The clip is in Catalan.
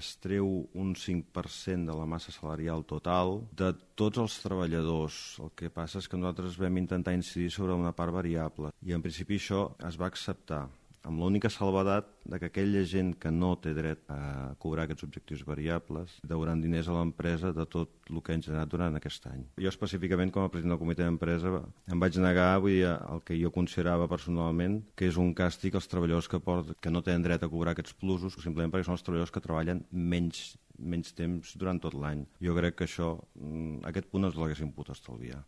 es treu un 5% de la massa salarial total de tots els treballadors. El que passa és que nosaltres vam intentar incidir sobre una part variable i en principi això es va acceptar, amb l'única salvedat de que aquella gent que no té dret a cobrar aquests objectius variables deuran diners a l'empresa de tot el que han generat durant aquest any. Jo específicament, com a president del comitè d'empresa, em vaig negar, vull dir, el que jo considerava personalment que és un càstig als treballadors que no tenen dret a cobrar aquests plusos, simplement perquè són els treballadors que treballen menys temps durant tot l'any. Jo crec que això, aquest punt ens l'haguéssim pogut estalviar.